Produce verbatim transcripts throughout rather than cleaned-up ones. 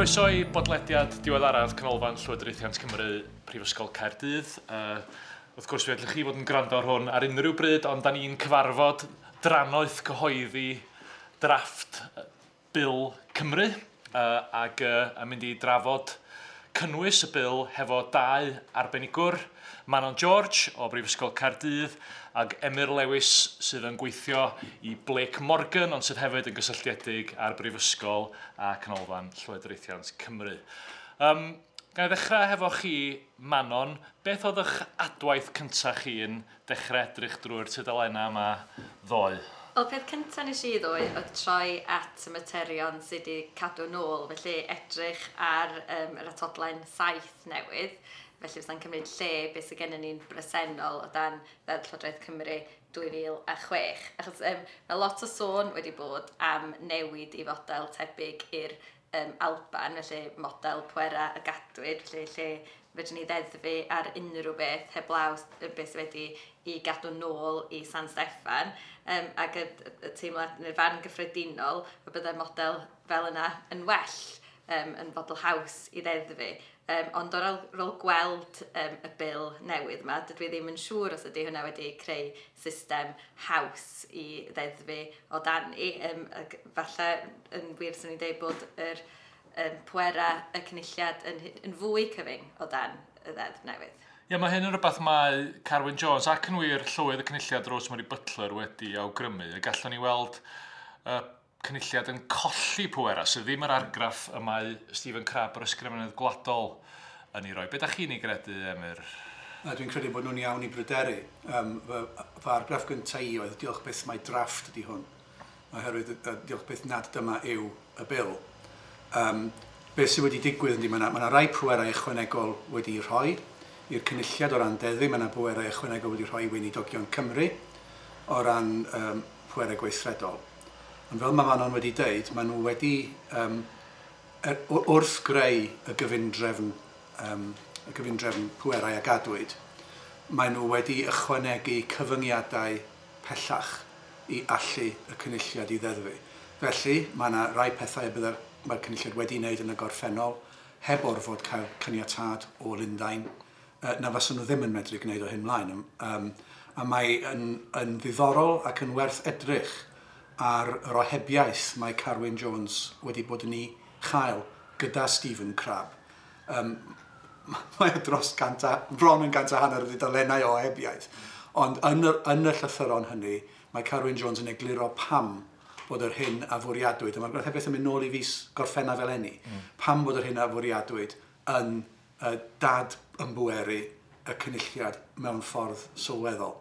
Croeso i bodlediad diweddaraf Canolfan Llywodraethiant Cymru Prifysgol Caerdydd. Uh, wrth gwrs, fe allwch chi fod yn gwrando ar hwn ar unrhyw bryd, ond da ni'n cyfarfod drannoeth cyhoeddi drafft Bil Cymru uh, ac uh, yn mynd i drafod cynnwys y bil hefo dau arbenigwr, Manon George o Brifysgol Caerdydd ac Emyr Lewis sydd yn gweithio i Blake Morgan, ond sydd hefyd yn gysylltiedig â'r Brifysgol a Canolfan Llywodraethiant Cymru. Um, Ga i ddechrau hefo chi, Manon, beth oedd eich adwaith cyntaf chi yn dechrau edrych drwy'r tudalennau yma ddoe? Wel, peth cyntaf nes i ddoe oedd troi at y materion sydd wedi cadw nôl, felly edrych ar um, yr atodlen saith newydd, felly fysa'n cymryd lle beth sydd gennym ni'n bresennol o dan Ddeddf Llywodraeth Cymru dwy fil a chwech. Achos um, mae lot o sôn wedi bod am newid i fodel tebyg i'r um, Alban, felly model pwera y gadwyd, felly lle fedrwn ni ddeddfu ar unrhyw beth heblaw beth sydd wedi i gadw nôl i San Steffan. Um, ac y, y teimlad neu'r farn gyffredinol y byddai model fel yna yn well, um, yn fodel haws i ddeddfu. Um, ond ar ôl, ôl gweld um, y bil newydd yma, dydw i ddim yn siŵr os ydy hwnna wedi creu system haws i ddeddfu o dan i. Um, ac falle yn wir swn i'n dweud bod yr um, pwera y cynulliad yn, yn fwy cyfyng o dan y ddeddf newydd. Ie, mae hyn yn rhywbeth mae Carwyn Jones ac yn wir llywydd y cynulliad Rosemary Butler wedi awgrymu. Y gallwn ni weld uh, cynulliad yn colli pwera, sydd ddim yr argraff y mae Stephen Crabb, yr ysgrifennydd gwladol, yn ei roi. Be da chi'n ei gredu, Emyr? Dwi'n credu bod nhw'n iawn i bryderu. Um, fy, fy argraff gyntaf i oedd diolch byth mai drafft ydy hwn, oherwydd diolch byth nad dyma yw y bil. Um, beth sydd wedi digwydd ydy, mae yna, ma rai pwerau ychwanegol wedi rhoi i'r cynulliad o ran deddfu, mae yna bwerau ychwanegol wedi rhoi i Weinidogion Cymru o ran um, pwerau gweithredol. Ond fel mae Manon wedi deud, maen nhw wedi um, er, wrth greu y gyfundrefn, um, y gyfundrefn pwerau a gadwyd, maen nhw wedi ychwanegu cyfyngiadau pellach i allu y cynulliad i ddeddfu. Felly, mae yna rai pethau y bydde'r mae'r cynulliad wedi wneud yn y gorffennol, heb orfod cael caniatâd o Lundain, na faswn nhw ddim yn medru gwneud o hyn mlaen. Um, a mae yn, yn ddiddorol ac yn werth edrych ar yr ohebiaeth mae Carwyn Jones wedi bod yn ei chael gyda Stephen Crabb. Um, mae o dros cant a, bron yn gant a hanner o dudalennau o ohebiaeth. Ond yn y, yn y llythyron hynny, mae Carwyn Jones yn egluro pam bod yr hyn a fwriadwyd, a mae'r ohebiaeth yn mynd nôl i fis Gorffennaf eleni, mm. pam bod yr hyn a fwriadwyd yn uh, dad ymbweru y cynulliad mewn ffordd sylweddol.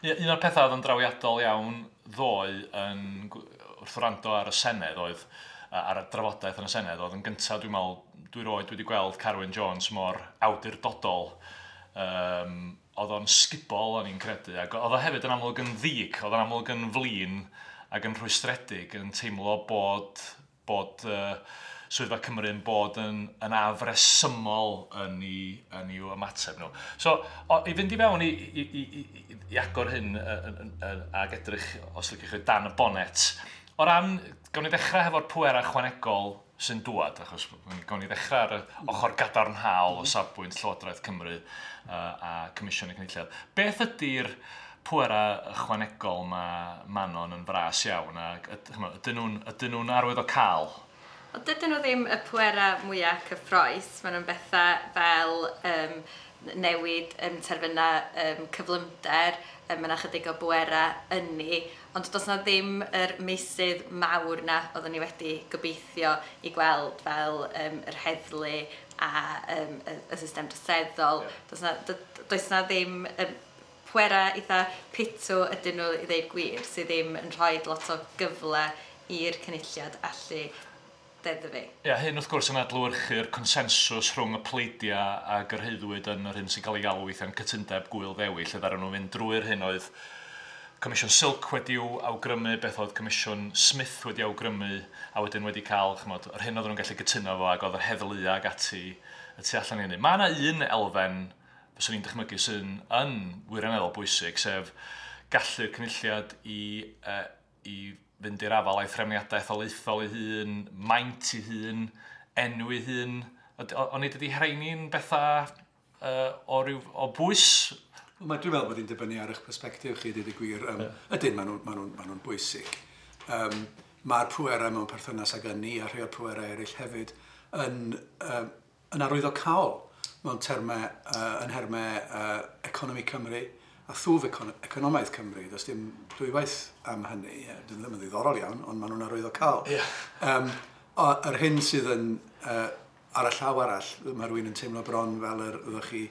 Un o'r pethau oedd yn drawiadol iawn ddoe yn, wrth wrando ar y Senedd oedd, ar y drafodaeth yn y Senedd, oedd yn gyntaf, dwi'n meddwl, dwi roed wedi gweld Carwyn Jones mor awdurdodol. Um, oedd o'n sgubol, o'n i'n credu, ac oedd o hefyd yn amlwg yn ddig, oedd o'n amlwg yn flin ac yn rhwystredig, yn teimlo bod, bod uh, Swyddfa Cymru'n bod yn, yn afresymol yn ei, yn ei ymateb nhw. So, o, i fynd i fewn i, i, i, i, i agor hyn ac edrych, os liciwch chi, dan y bonet, o ran, gawn ni ddechrau hefo'r pwerau ychwanegol sy'n dŵad, achos gawn ni ddechrau ar y ochr gadarnhaol o safbwynt Llywodraeth Cymru uh, a Comisiwn y Cynulliad. Beth ydy'r pwerau ychwanegol mae Manon yn fras iawn, ac ydyn nhw'n ydyn nhw'n arwydd o cael? Wel, dydyn nhw ddim y pwerau mwyaf cyffrous. Maen nhw'n bethau fel um, newid um, terfynau um, cyflymder, um, mae yna chydig o bwerau ynni, ond does na ddim yr meysydd mawr na oeddwn ni wedi gobeithio i gweld fel um, yr heddlu a um, y, y system troseddol. Yeah. Does na, does na ddim um, pwerau eitha pitw ydyn nhw i ddeud gwir, sydd ddim yn rhoi lot o gyfle i'r cynulliad allu deddfu. Ie, hyn wrth gwrs yn adlewyrchu'r consensws rhwng y pleidiau a gyrhaeddwyd yn yr hyn sy'n cael ei galw weithiau'n cytundeb Gŵyl Ddewi, lle ddaru nhw fynd drwy'r hyn oedd Comisiwn Silk wedi'w awgrymu, beth oedd Comisiwn Smith wedi awgrymu, a wedyn wedi cael, ch'mod, yr hyn oedden nhw'n gallu gytuno fo, ac oedd yr heddlu ag ati y tu allan i hynny. Mae yna un elfen, fyswn i'n dychmygu, sy'n yn wirioneddol bwysig, sef gallu'r cynulliad i, uh, i fynd i'r afael a'i threfniadau etholaethol ei hun, maint ei hun, enw ei hun. Ond nid ydy rheini'n bethau uh, o, ryw, o bwys? Mae, dwi'n meddwl bod hi'n dibynnu ar eich perspectif chi, dweud y gwir. Um, yeah. Ydyn, maen nhw'n ma nhw, ma nhw bwysig. Um, Mae'r pwerau mewn perthynas ag ynni a rhai o'r pwerau eraill hefyd yn, um, yn arwyddocaol mewn termau, uh, yn nhermau uh, economi Cymru a thwf econ economaidd Cymru. Does dim dwywaith am hynny. Dyn ddim yn ddiddorol iawn, ond maen nhw'n arwyddocaol. Yeah. Um, o, yr hyn sydd yn, uh, ar y llaw arall, mae rhywun yn teimlo bron fel yr ydych chi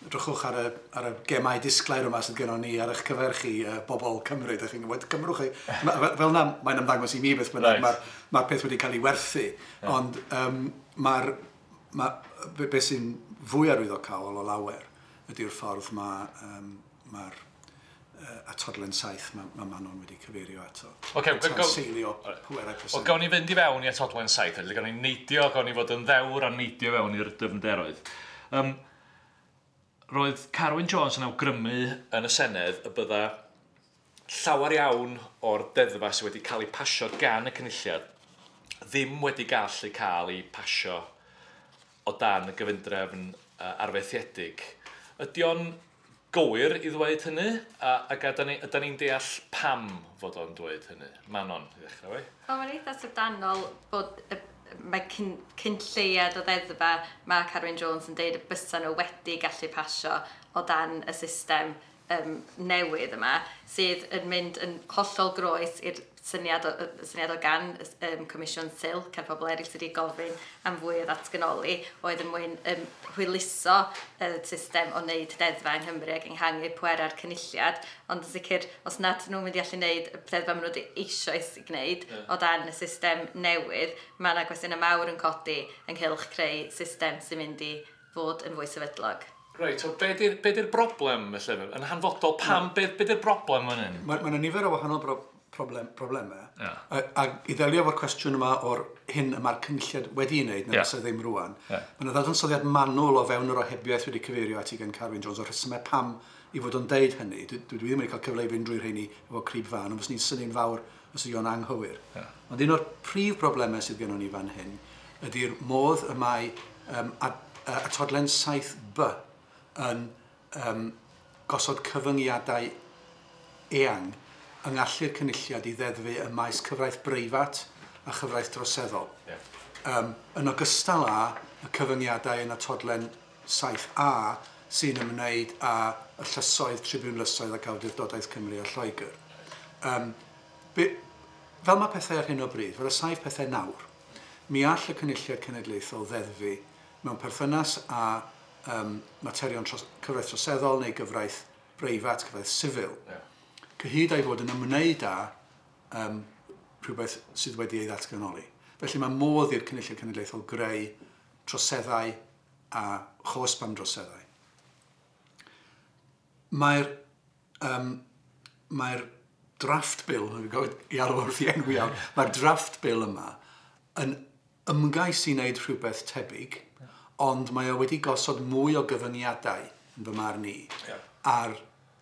drychwch ar y, ar y gemau disglair yma sydd gennon ni ar eich cyfer chi, uh, bobl Cymru, ydych chi'n gwybod, cymrwch chi. Ma, fel na, mae'n ymddangos i mi beth bynnag, Right. mae'r ma peth wedi cael ei werthu. Yeah. Ond um, mae'r, ma, be, be sy'n fwy arwyddocaol o lawer ydy'r ffordd mae'r um, ma uh, atodlen saith mae ma Manon wedi cyfeirio ato. Ocê, go- go- Tanseilio pwerau Wel, presennol. gawn ni fynd i fewn i atodlen saith, felly gawn ni neidio, gawn ni fod yn ddewr a neidio fewn i'r dyfnderoedd. Um, roedd Carwyn Jones yn awgrymu yn y Senedd y bydda llawer iawn o'r deddfau sydd wedi cael eu pasio gan y Cynulliad ddim wedi gallu cael eu pasio o dan y gyfundrefn uh, arfaethiedig. Ydy o'n gywir i ddweud hynny? A, ac ydan ni, ydan ni'n deall pam fod o'n dweud hynny? Manon, i ddechrau fi. Wel, mae'n eitha syfrdanol bod y, mae cyn, cyn lleiad o ddeddfa mae Carwyn Jones yn deud y bysa nhw wedi gallu pasio o dan y system um, newydd yma, sydd yn mynd yn hollol groes i'r syniad o, y syniad o gan um, Comisiwn Silk a'r pobl eraill sydd wedi gofyn am fwy o ddatganoli, oedd yn mwyn um, hwyluso y system o wneud deddfau yng Nghymru ac ehangu pwerau'r cynulliad, ond yn sicr, os nad nhw'n mynd i allu wneud y deddfau maen nhw wedi eisoes i gwneud Ie. o dan y system newydd, mae yna gwestiynau mawr yn codi ynghylch creu system sy'n mynd i fod yn fwy sefydlog. Reit, so be di'r be di'r broblem felly? Yn hanfodol, pam, be, be di'r broblem fan hyn? Mae ma yna nifer o wahanol bro problem, problemau. Ie. A, a i ddelio efo'r cwestiwn yma o'r hyn y mae'r cynulliad wedi ei wneud, na Ie. fysa ddim rwan. Ie. Mae yna ddadansoddiad manwl o fewn yr ohebiaeth wedi cyfeirio ati gan Carwyn Jones o'r rhesymau pam i fod o'n deud hynny. Dwi, dwi ddim wedi cael cyfle i fynd drwy rheini efo crib fan, ond fyswn i'n synnu'n fawr os ydy o'n anghywir. Ie. Ond un o'r prif broblemau sydd gennon ni fan hyn ydy'r modd y mae um, at, uh, atodlen saith B yn um, gosod cyfyngiadau eang yng ngallu'r cynulliad i ddeddfu ym maes cyfraith breifat a chyfraith droseddol. Ie. Um, yn ogystal â y cyfyngiadau yn atodlen saith A sy'n ymwneud â y llysoedd, tribiwnlysoedd ac awdurdodaeth Cymru a Lloegr. Um, be, fel mae pethau ar hyn o bryd, fel y saif pethau nawr, mi all y Cynulliad Cenedlaethol ddeddfu mewn perthynas â um, materion tros, cyfraith troseddol neu gyfraith breifat, cyfraith sifil, Ie. cyhyd a'i fod yn ymwneud â um, rhywbeth sydd wedi ei ddatganoli. Felly mae modd i'r Cynulliad Cenedlaethol greu troseddau a chosb am droseddau. Mae'r um, mae'r draft bill, dwi'n gwybod i alw wrth i enw iawn, mae'r draft bill yma yn ymgais i wneud rhywbeth tebyg, ond mae o wedi gosod mwy o gyfyngiadau yn fy marn i Ie. ar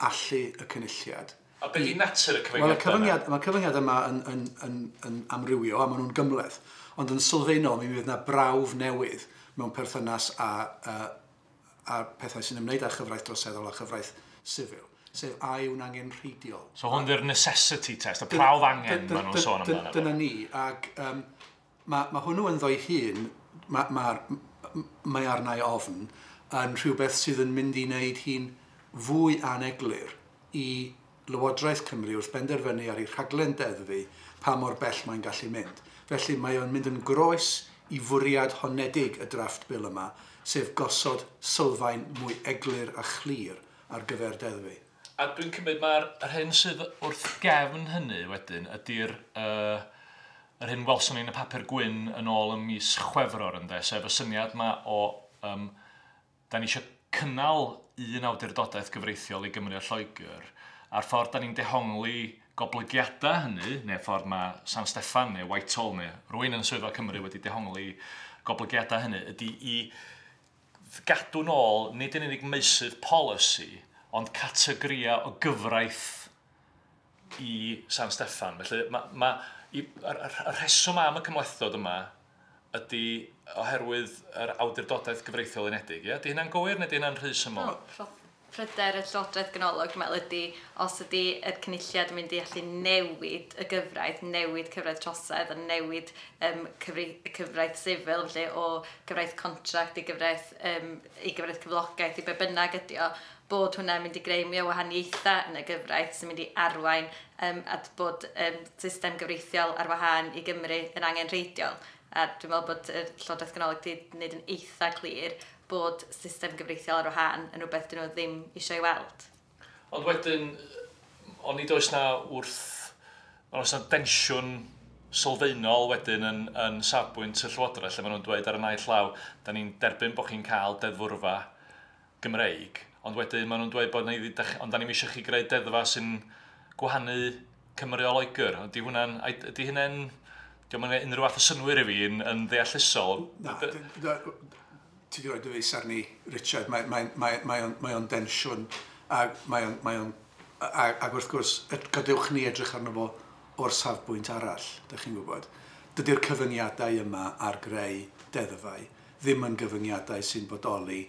allu y cynulliad. A be di natur y Wel, y cyfyngiadau yna? cyfyngiad, mae'r cyfyngiad yma yn, yn, yn, yn amrywio a maen nhw'n gymhleth, ond yn sylfaenol mi fydd yna brawf newydd mewn perthynas â, â, â pethau sy'n ymwneud â chyfraith droseddol a chyfraith sifil, sef a yw'n angenrheidiol. So hwn di'r necessity test, y prawf angen Dy- maen nhw'n sôn dy- amdano. Dyna ni, ac um, mae ma hwnnw ynddo'i hun, mae ma, mae arna i ofn, yn rhywbeth sydd yn mynd i wneud hi'n fwy aneglur i Lywodraeth Cymru wrth benderfynu ar ei rhaglen deddfu pa mor bell mae'n gallu mynd. Felly mae o'n mynd yn groes i fwriad honedig y draft bill yma, sef gosod sylfaen mwy eglur a chlir ar gyfer deddfu. A dwi'n cymryd mae'r yr hyn sydd wrth gefn hynny wedyn ydy'r uh, yr hyn welson ni yn y papur gwyn yn ôl ym mis Chwefror ynde, sef y syniad yma o um, da ni eisiau cynnal un awdurdodaeth gyfreithiol i Gymru a Lloegr, a'r ffordd da ni'n dehongli goblygiadau hynny, neu ffordd mae San Steffan neu Whitehall neu rywun yn Swyddfa Cymru wedi dehongli goblygiadau hynny, ydy i gadw nôl nid yn unig meysydd polisi, ond categoria o gyfraith i San Steffan. Felly, ma, ma, i, yr, yr, yr rheswm am y cymhlethdod yma ydy oherwydd yr awdurdodaeth gyfreithiol unedig. Ie? Ydy hynna'n gywir neu ydy hynna'n rhy syml? No, pryder y Llywodraeth Ganolog, dwi'n meddwl, ydy os ydy y Cynulliad yn mynd i allu newid y gyfraith, newid cyfraith trosedd a newid um, cyfri, cyfraith sifil, felly o gyfraith contract i gyfraith, um, i gyfraith cyflogaeth, i be bynnag ydy o, bod hwnna'n mynd i greu mwy o wahaniaethau yn y gyfraith sy'n mynd i arwain um, at bod um, system gyfreithiol ar wahân i Gymru yn angenrheidiol. A dwi'n meddwl bod y Llywodraeth Ganolog wedi gwneud yn eitha clir bod system gyfreithiol ar wahân yn rhywbeth dyn nhw ddim eisiau ei weld. Ond wedyn, onid oes na wrth... Oes na densiwn sylfaenol wedyn yn, yn safbwynt y Llywodraeth, lle maen nhw'n dweud ar y naill law, da ni'n derbyn bod chi'n cael deddfwrfa Gymreig, ond wedyn maen nhw'n dweud bod ni, ond da ni'n eisiau chi greu deddfa sy'n gwahanu Cymru o Loegr. Ydy hwnna'n... Ydy hynna'n... Dio'm yn unrhyw fath o synwyr i fi yn, yn ddeallusol. Na, ti wedi rhoi dy fys arni, Richard, mae, mae, mae, mae o'n, mae o'n densiwn ac, mae o'n, mae o'n, ac, ac wrth gwrs, gadewch ni edrych arno fo o'r safbwynt arall, dych chi'n gwybod. Dydy'r cyfyngiadau yma ar greu deddfau ddim yn gyfyngiadau sy'n bodoli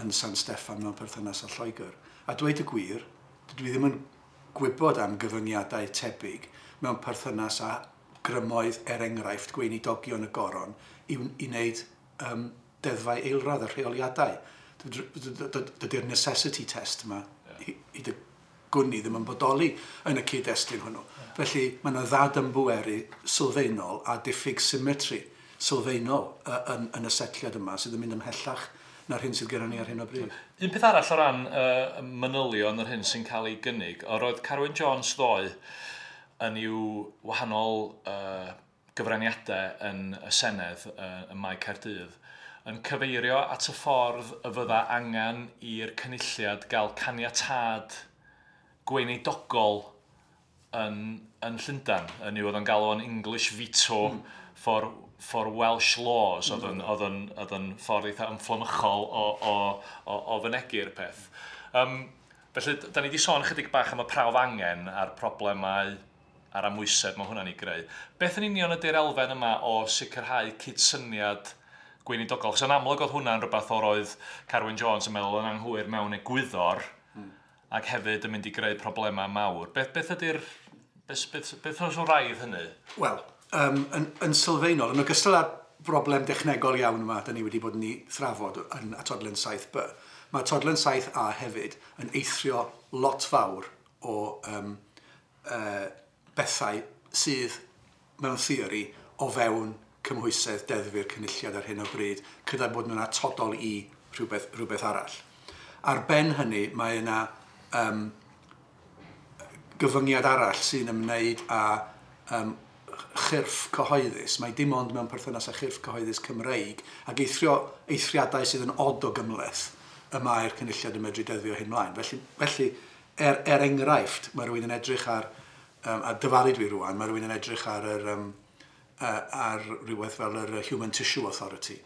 yn San Steffan mewn perthynas â Lloegr. A dweud y gwir, dydw i ddim yn gwybod am gyfyngiadau tebyg mewn perthynas â grymoedd, er enghraifft, gweinidogion y goron i, i wneud um, deddfau eilradd a rheoliadau. Dydy'r necessity test yma yeah. i, i dy gwn i ddim yn bodoli yn y cyd-destun hwnnw. Yeah. Felly mae yna ddad-ymbweru sylfaenol a diffyg symmetry sylfaenol yn, yn y setliad yma sydd yn mynd ymhellach na'r hyn sydd gyda ni ar hyn o bryd. Un peth arall o ran uh, manylion yr hyn sy'n cael ei gynnig, o roedd Carwyn Jones ddoe yn i'w wahanol uh, gyfraniadau yn y Senedd uh, ym Mae Caerdydd, yn cyfeirio at y ffordd y fydda angen i'r Cynulliad gael caniatâd gweinidogol yn, yn Llundain. Yn yw oedd yn galw yn English veto mm. for, for Welsh laws, oedd yn, oedd yn, oedd yn ffordd eitha ymfflamychol o, o, o, o fynegu'r peth. Um, felly, da ni wedi sôn chydig bach am y prawf angen a'r problemau a'r amwysedd mae hwnna'n ei greu. Beth yn union ydy'r elfen yma o sicrhau cydsyniad gweinidogol? Chos yn amlwg oedd hwnna'n rhywbeth o'r oedd Carwyn Jones yn meddwl yn anghywir mewn egwyddor mm. ac hefyd yn mynd i greu problemau mawr. Beth, beth ydy'r... Beth, beth, beth oes o raidd hynny? Wel, um, yn, yn sylfaenol, yn ogystal â'r broblem dechnegol iawn yma, da ni wedi bod yn ei thrafod yn atodlen saith B, mae atodlen saith A hefyd yn eithrio lot fawr o um, uh, bethau sydd mewn theori o fewn cymhwysedd deddfu'r Cynulliad ar hyn o bryd, gyda bod nhw'n atodol i rhywbeth, rhywbeth arall. Ar ben hynny, mae yna um, gyfyngiad arall sy'n ymwneud â um, chyrff cyhoeddus. Mae dim ond mewn perthynas â chyrff cyhoeddus Cymreig ac eithrio, eithriadau sydd yn od o gymhleth y mae'r Cynulliad yn medru deddfio hyn mlaen. Felly, felly er, er enghraifft, mae rhywun yn edrych ar, um, a dyfalu dwi rwan, mae rhywun yn edrych ar, yr, um, uh, ar rhywbeth fel yr Human Tissue Authority,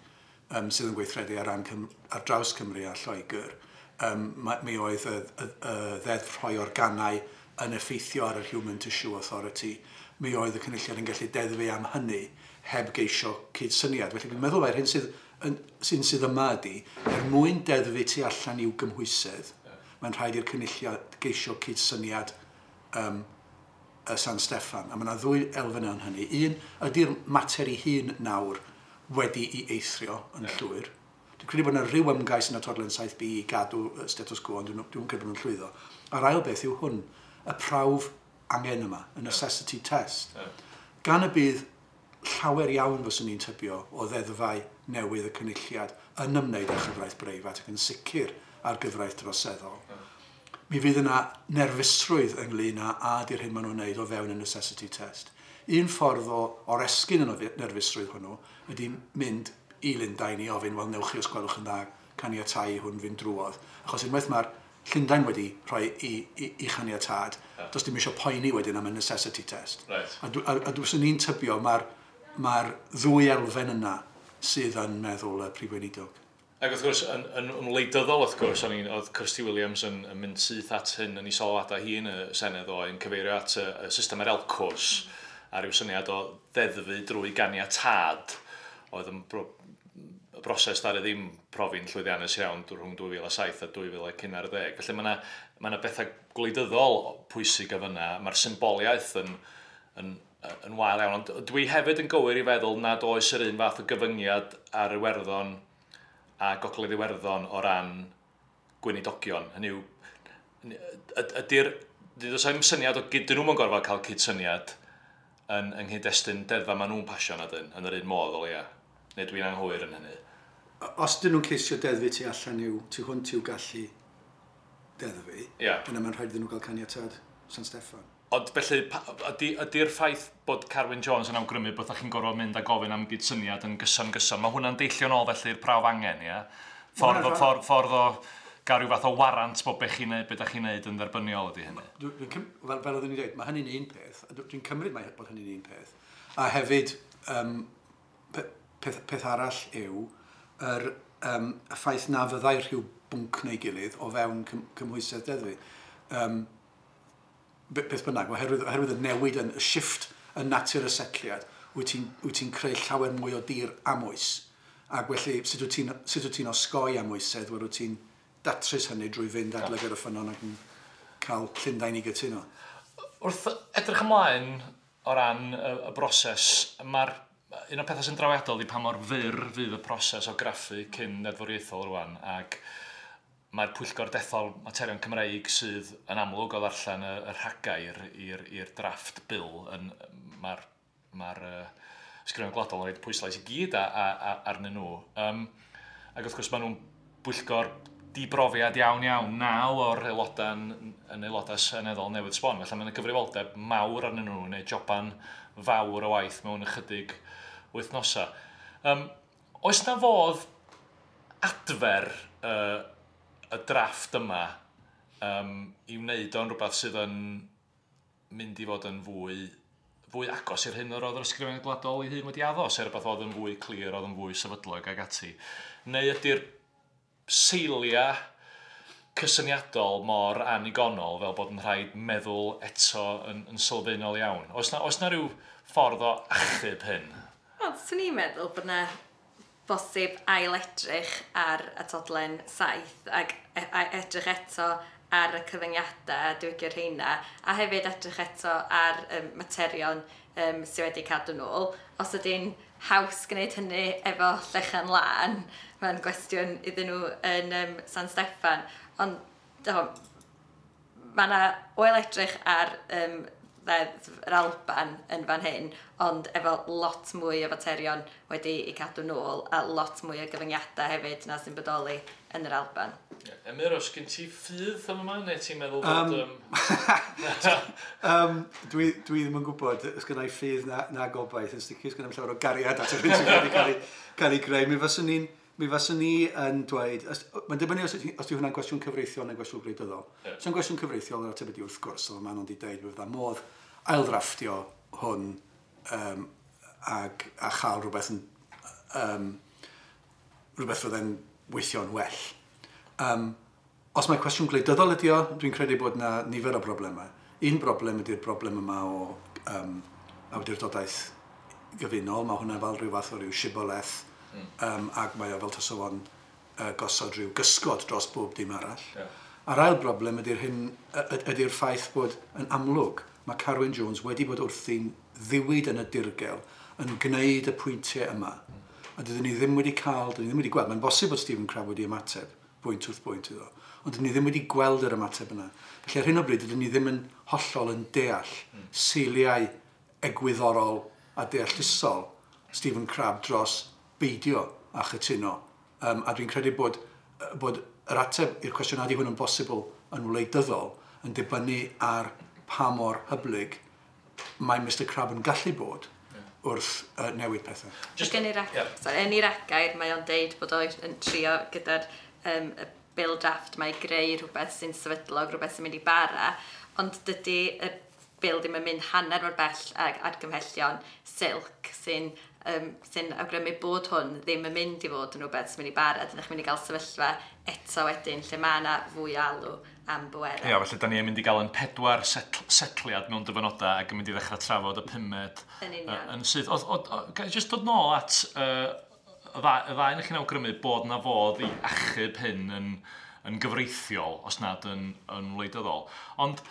um, sydd yn gweithredu ar, ran Cym ar draws Cymru a Lloegr. Um, mi oedd y, y, y ddeddf rhoi organau yn effeithio ar yr Human Tissue Authority. Mi oedd y Cynulliad yn gallu deddfu am hynny heb geisio cydsyniad. Felly dwi'n meddwl mai'r hyn sydd, yn, sy'n sydd yma ydy, er mwyn deddfu tu allan i'w gymhwysedd, yeah. mae'n rhaid i'r Cynulliad geisio cydsyniad um, y San Steffan. A mae yna ddwy elfen yn hynny. Un, ydy'r mater ei hun nawr wedi i eithrio yn yeah. llwyr. Dwi'n credu bod yna rhyw ymgais yn atodlen saith B i gadw status quo, ond dwi'n dwi credu bod nhw'n llwyddo. A'r ail beth yw hwn, y prawf angen yma, y necessity test. Yeah. Gan y bydd llawer iawn fyswn ni'n tybio o ddeddfau newydd y Cynulliad yn ymwneud â chyfraith breifat ac yn sicr ar gyfraith droseddol. Yeah. Mi fydd yna nerfusrwydd ynglyn â a di'r hyn maen nhw'n wneud o fewn y necessity test. Un ffordd o oresgyn y nerfusrwydd hwnnw ydy mynd i Lundain i ofyn, wel, newch chi os gwelwch yn dda caniatáu i hwn fynd drwodd. Achos unwaith mae'r Llundain wedi rhoi i, i, i chaniatâd, yeah. does dim eisiau poeni wedyn am y necessity test. Right. A, a, a dwi'n ni'n tybio mae'r mae'r ddwy elfen yna sydd yn meddwl y Prif Weinidog. Ac wrth gwrs, yn, yn, yn wleidyddol wrth gwrs, o'n i'n, oedd Kirsty Williams yn, yn mynd syth at hyn yn ei sylwadau hi yn y Senedd o, yn cyfeirio at y, y system yr ELCOS, a rhyw syniad o ddeddfu drwy ganiatâd oedd yn bro, y broses ddaru ddim profi'n llwyddiannus iawn rhwng dwy fil a saith a dwy fil a un ar ddeg. Felly mae yna ma 'na bethau gwleidyddol pwysig o fyna. Mae'r symboliaeth yn, yn, yn wael iawn. Ond dwi hefyd yn gywir i feddwl nad oes yr un fath o gyfyngiad ar Iwerddon a Gogledd Iwerddon o ran gweinidogion. Hynny yw, ydy'r... Does 'im syniad o gyd, dyn nhw'n gorfod cael cydsyniad yn, yng nghyd-destun deddfa maen nhw'n pasio na dyn, yn yr un modd o leia. Neu dwi'n anghywir yn hynny? Os dyn nhw'n ceisio deddfu tu allan i'w, tu hwnt i'w gallu deddfu, yeah. yna mae'n rhaid iddyn nhw gael caniatâd San Steffan. Ond felly, ydy, ydy'r ffaith bod Carwyn Jones yn awgrymu bod chi'n gorfod mynd a gofyn am gydsyniad yn gyson gyson, mae hwnna'n deillio nôl felly'r prawf angen, ie? Ffordd o, ffordd, ffordd o gael rhyw fath o warant bod be chi'n neud, be da chi'n neud yn dderbyniol ydy hynny. Dwi, dwi, fel, fel oeddwn i'n dweud, mae hynny'n un peth. Dwi'n cymryd mae bod hynny'n un peth. A hefyd, um, peth, peth arall yw yr, um, y ffaith na fyddai rhyw bwnc neu gilydd o fewn cym, cymhwysedd deddfu. Um, beth bynnag, oherwydd, oherwydd y newid yn y shift yn natur y setliad, wyt ti'n ti creu llawer mwy o dir amwys. Ac felly, sut wyt ti'n ti osgoi amwysedd, wel wyt ti'n datrys hynny drwy fynd at lygaid y ffynnon ac yn cael Llundain i gytuno. Wrth edrych ymlaen o ran y, y broses, mae'r un o'r pethau sy'n drawiadol ydy pa mor fyr fydd y proses o graffu cyn deddfwriaethol rwan, ac mae'r pwyllgor dethol materion Cymreig sydd yn amlwg o ddarllen y, y rhagair i'r drafft bill, yn, mae'r mae'r uh, Ysgrifennydd Gwladol yn rhaid pwyslais i gyd a, a, a, arnyn nhw. Um, ac wrth gwrs maen nhw'n bwyllgor dibrofiad iawn iawn, naw o'r aelodau yn, yn aelodau seneddol newydd sbon. Felly mae'n gyfrifoldeb mawr arnyn nhw, neu joban fawr o waith mewn ychydig wythnosau. Um, oes na fodd adfer uh, y drafft yma um, i wneud o'n rhywbeth sydd yn mynd i fod yn fwy, fwy agos i'r hyn yr oedd yr Ysgrifennydd Gwladol ei hun wedi addo, sef rhywbeth oedd yn fwy clir, oedd yn fwy sefydlog ag ati. Neu ydy'r seiliau cysyniadol mor anigonol fel bod yn rhaid meddwl eto yn, yn sylfaenol iawn? Oes na, oes na rhyw ffordd o achub hyn? Wel, swn i'n meddwl bod na bosib ail edrych ar atodlen saith ac e, edrych eto ar y cyfyngiadau a diwygio'r rheina, a hefyd edrych eto ar um, materion um, sydd wedi cadw nôl. Os ydy'n haws gwneud hynny efo llechan lân, mae'n gwestiwn iddyn nhw yn um, San Steffan. Ond do, mae yna oel edrych ar um, ddeddf yr Alban yn fan hyn, ond efo lot mwy o faterion wedi i cadw nôl a lot mwy o gyfyngiadau hefyd na sy'n bodoli yn yr Alban. Yeah. Emyr, oes gen ti ffydd am yma, neu ti'n meddwl bod... Um, um, dwi, dwi ddim yn gwybod os gen i ffydd na, na gobaith, yn sicr os gen i'm llawer o gariad at yr hyn sydd wedi cael ei, cael ei greu. Mi faswn ni'n mi faswn ni yn dweud, mae'n dibynnu os, os yw hwnna'n gwestiwn cyfreithiol neu gwestiwn gwleidyddol. Yeah. Os yw'n gwestiwn cyfreithiol, yr ateb ydy wrth gwrs, oedd maen nhw'n wedi dweud fydda modd ailddrafftio hwn um, ag, a chael rhywbeth yn, um, rhywbeth fydde'n weithio'n well. Um, os mae cwestiwn gwleidyddol ydi o, dwi'n credu bod yna nifer o broblemau. Un broblem ydy'r broblem yma o um, awdurdodaeth gyfunol. Mae hwnna fel rhyw fath o ryw shiboleth, mm. um, ac mae o fel taso fo'n uh, gosod rhyw gysgod dros bob dim arall. Yeah. A'r ail broblem ydy'r hyn, ydy'r ffaith bod yn amlwg mae Carwyn Jones wedi bod wrthi'n ddiwyd yn y dirgel yn gwneud y pwyntiau yma. A dydyn ni ddim wedi cael, dydyn ni ddim wedi gweld, mae'n bosib bod Stephen Crabb wedi ymateb bwynt wrth bwynt iddo, ond dydyn ni ddim wedi gweld yr ymateb yna. Felly ar hyn o bryd, dydyn ni ddim yn hollol yn deall mm. seiliau egwyddorol a deallusol Stephen Crabb dros beidio a chytuno. Um, a dwi'n credu bod, bod yr ateb i'r cwestiwn ydy hwn yn bosibl yn wleidyddol yn dibynnu ar pa mor hyblyg mae Mister Crabb yn gallu bod wrth uh, newid pethau. Just, yn ei yeah. sorry, yn ei ragair, mae o'n deud bod o'n trio gyda'r um, y bill draft mae greu rhywbeth sy'n sefydlog, rhywbeth sy'n mynd i bara, ond dydy y bil ddim yn mynd hanner mor bell ag argymhellion Silk sy'n um, sy'n awgrymu bod hwn ddim yn mynd i fod yn rhywbeth sy'n mynd i bara. Dyn chi'n mynd i gael sefyllfa eto wedyn lle mae yna fwy alw am bwerau. Ia, felly da ni'n mynd i gael yn pedwar setl setliad mewn dyfynodau ac yn mynd i ddechrau trafod y pumed yn union. Uh, yn syth. Oedd, oedd, oedd, jyst dod nôl at uh, y ddau, y ddau chi'n awgrymu bod na fodd i achub hyn yn, yn gyfreithiol, os nad yn, yn wleidyddol. Ond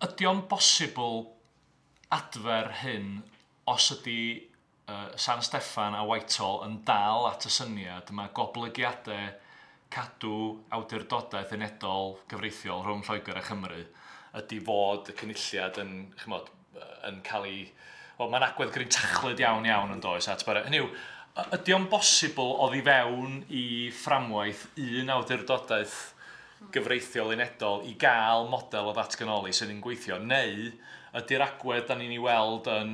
ydy o'n bosibl adfer hyn os ydy uh, San Steffan a Whitehall yn dal at y syniad mae goblygiadau cadw awdurdodaeth unedol gyfreithiol rhwng Lloegr a Chymru ydy fod y cynulliad yn, chymod, yn cael ei... Wel, mae'n agwedd grintachlyd iawn iawn yn does at bara. Hynny yw, ydy o'n bosibl oddi fewn i fframwaith un awdurdodaeth gyfreithiol unedol i gael model o ddatganoli sydd yn gweithio, neu ydy'r agwedd da ni'n ei weld yn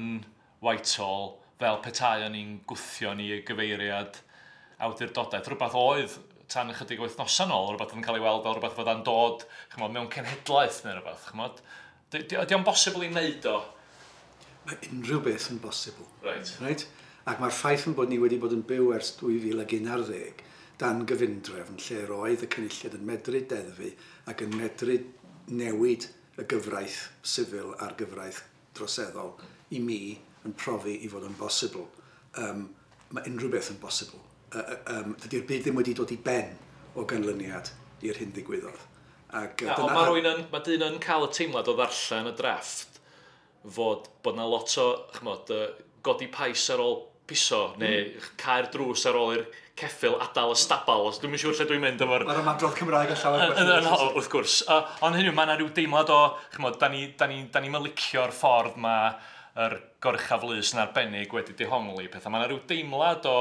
Whitehall fel petai o'n i'n gwthio ni i gyfeiriad awdurdodaeth, rhywbeth oedd tan ychydig wythnosau nôl, rhywbeth yn cael ei weld fel rhywbeth fydda'n dod, chymod, mewn cenhedlaeth neu rhywbeth, chymod. Ydy o'n bosibl i wneud o? Mae unrhyw beth yn bosibl. Right. Right? Ac mae'r ffaith yn bod ni wedi bod yn byw ers dwy fil ag un ar ddeg dan gyfundrefn lle roedd y cynulliad yn medru deddfu ac yn medru newid y gyfraith sifil a'r gyfraith droseddol i mi yn profi i fod yn bosibl. Um, mae unrhyw beth yn bosibl. Uh, um, dydy'r byd ddim wedi dod i ben o ganlyniad i'r hyn ddigwyddodd. Ac, uh, dyna... Ond mae rhywun yn, mae dyn yn cael y teimlad o ddarllen y drafft fod bod na lot o, chymod, godi pais ar ôl piso neu mm. cau'r drws ar ôl i'r ceffyl adael y stabal. Os dwi'm yn siŵr lle dwi'n mynd efo'r... Mae'r ymadrodd Cymraeg yn llawer gwell. Wrth gwrs. Uh, ond hynny yw, mae yna rhyw deimlad o, chymod, da ni, da ni, da ni'm yn licio'r ffordd mae yr goruchaf lys yn arbennig wedi dehongli pethau. Mae yna rhyw deimlad o,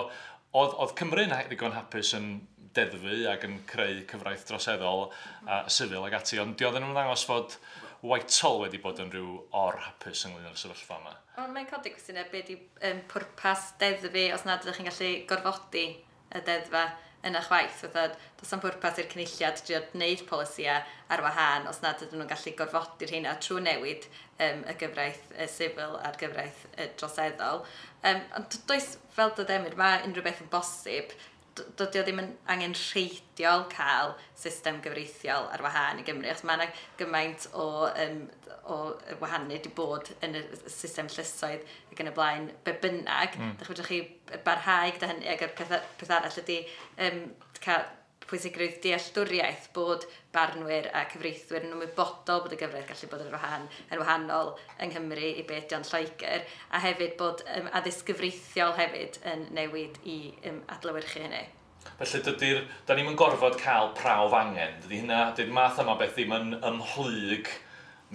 oedd, oedd Cymru'n ddigon hapus yn deddfu ac yn creu cyfraith droseddol a sifil ac ati, ond di oedd yn ymddangos fod Whitehall wedi bod yn rhyw or-hapus ynglyn â'r sefyllfa yma. Ond mae'n codi cwestiynau be di um, pwrpas deddfu os nad ydych chi'n gallu gorfodi y deddfa yna chwaith. Fatha, does am pwrpas i'r cynulliad drio gwneud polisïau ar wahân os nad ydyn nhw'n gallu gorfodi'r rheina trwy newid um, y gyfraith y sifil a'r gyfraith y droseddol. Um, ond does, fel dod Emyr, mae unrhyw beth yn bosib. Dydy o ddim yn angenrheidiol cael system gyfreithiol ar wahân i Gymru, achos mae yna gymaint o, um, o wahanu wedi bod yn y system llysoedd ac yn y blaen be bynnag. Mm. Dych chi barhau gyda hynny, ac y peth, peth arall ydy um, cael pwysigrwydd dealltwriaeth bod barnwyr a cyfreithwyr yn ymwybodol bod y gyfraith gallu bod yn wahan, yn wahanol yng Nghymru i beth ydy o'n Lloegr, a hefyd bod um, addysg gyfreithiol hefyd yn newid i um, adlewyrchu hynny. Felly dydy'r, da ni'm yn gorfod cael prawf angen, dydy hynna, dydy'r math yma beth ddim yn ymhlyg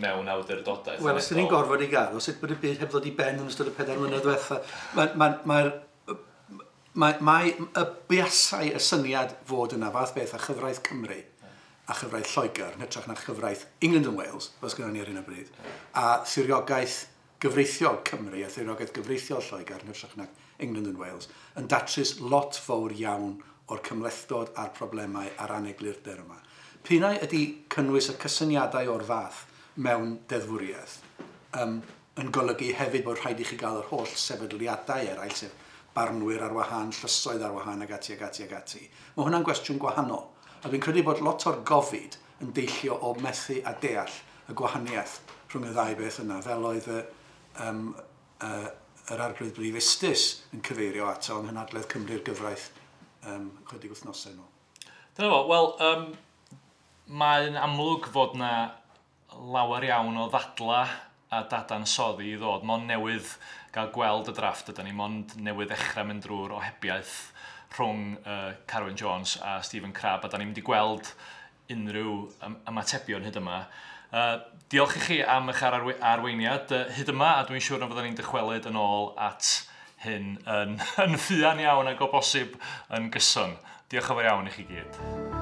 mewn awdurdodaeth. Wel, os dyn ni'n gorfod i gael, os sut bod y byd heb ddod i ben yn ystod y pedair mlynedd diwetha, mae'r ma, ma, Mae, mae y buasai y syniad fod yna fath beth a chyfraith Cymru a chyfraith Lloegr, yn hytrach na chyfraith England and Wales, fel sgynnon ni ar hyn o bryd, a thiriogaeth gyfreithiol Cymru a thiriogaeth gyfreithiol Lloegr, yn hytrach na England and Wales, yn datrys lot fawr iawn o'r cymhlethdod a'r problemau a'r aneglurder yma. P'un ai ydy cynnwys y cysyniadau o'r fath mewn deddfwriaeth um, yn golygu hefyd bod rhaid i chi gael yr holl sefydliadau eraill, sef barnwyr ar wahân, llysoedd ar wahân ac ati ac ati ac ati. Mae hwnna'n gwestiwn gwahanol. A dwi'n credu bod lot o'r gofid yn deillio o methu a deall y gwahaniaeth rhwng y ddau beth yna, fel oedd y, um, uh, yr Arglwydd Brif Ustus yn cyfeirio ato yng Nghynhadledd Cymru'r gyfraith um, chydig wythnosau nôl. Dyna fo, wel, um, mae'n amlwg fod na lawer iawn o ddadla a dadansoddi i ddod. Mond newydd gael gweld y drafft ydy ni, mond newydd ddechrau mynd drwy'r ohebiaeth rhwng uh, Carwyn Jones a Stephen Crabb, a da ni'n mynd i gweld unrhyw ymatebion hyd yma. Uh, diolch i chi am eich arweiniad uh, hyd yma, a dwi'n siŵr na fyddwn ni'n dychwelyd yn ôl at hyn yn, yn fuan iawn ac o bosib yn gyson. Diolch yn fawr iawn i chi gyd.